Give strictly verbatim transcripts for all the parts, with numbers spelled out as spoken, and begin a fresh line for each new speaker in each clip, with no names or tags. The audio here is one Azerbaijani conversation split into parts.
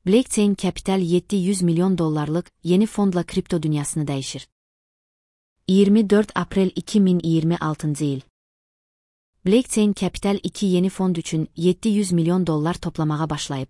Blockchain Capital yedi yüz milyon dollarlık yeni fondla kripto dünyasını değişir. yirmi dört April iki min iyirmi altıncı yıl. Blockchain Capital iki yeni fond üçün yedi yüz milyon dollar toplamağa başlayıb.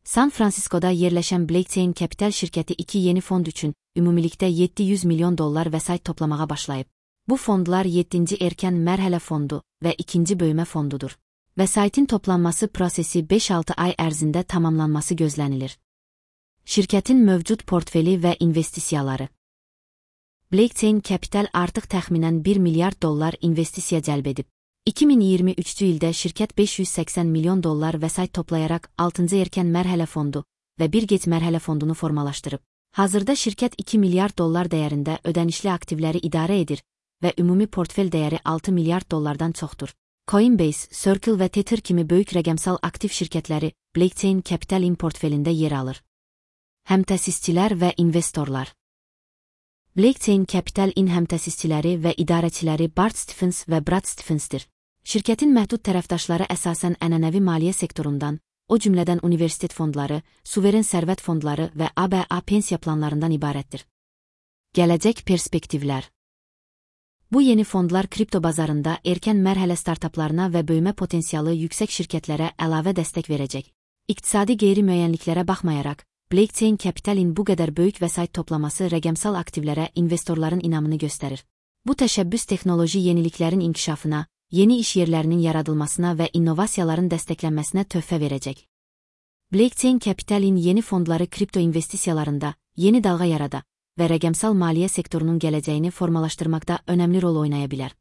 San Francisco'da yerleşen Blockchain Capital şirketi iki yeni fond üçün ümumilikdə yedi yüz milyon dollar vəsait toplamağa başlayıb. Bu fondlar yeddinci erkən mərhələ fondu və ikinci böyümə fondudur. Vəsaitin toplanması prosesi beş altı ay ərzində tamamlanması gözlənilir. Şirkətin mövcud portfeli və investisiyaları. Blockchain Capital artıq təxminən bir milyard dollar investisiya cəlb edib. iki min iyirmi üçüncü ildə şirkət beş yüz səksən milyon dollar vəsait toplayaraq altıncı erkən mərhələ fondu və bir gec mərhələ fondunu formalaşdırıb. Hazırda şirkət iki milyard dollar dəyərində ödənişli aktivləri idarə edir və ümumi portfel dəyəri altı milyard dollardan çoxdur. Coinbase, Circle və Tether kimi böyük rəqəmsal aktiv şirkətləri Blockchain Capital'in portfelində yer alır. Həmtəsisçilər və investorlar. Blockchain Capital'in həmtəsisçiləri və idarəçiləri Bart Stephens və Brad Stephens'dir. Şirkətin məhdud tərəfdaşları əsasən ənənəvi maliyyə sektorundan, o cümlədən universitet fondları, suveren sərvət fondları və A B A pensiya planlarından ibarətdir. Gələcək perspektivlər. Bu yeni fondlar kripto bazarında erkən mərhələ startaplarına və böyümə potensialı yüksək şirkətlərə əlavə dəstək verəcək. İqtisadi qeyri-müəyyənliklərə baxmayaraq, Blockchain Capital'in bu qədər böyük vəsait toplaması rəqəmsal aktivlərə investorların inamını göstərir. Bu təşəbbüs texnoloji yeniliklərin inkişafına, yeni iş yerlərinin yaradılmasına və innovasiyaların dəstəklənməsinə töhfə verəcək. Blockchain Capital'in yeni fondları kripto investisiyalarında yeni dalğa yarada və rəqəmsal maliyyə sektorunun gələcəyini formalaşdırmaqda önəmli rol oynaya bilər.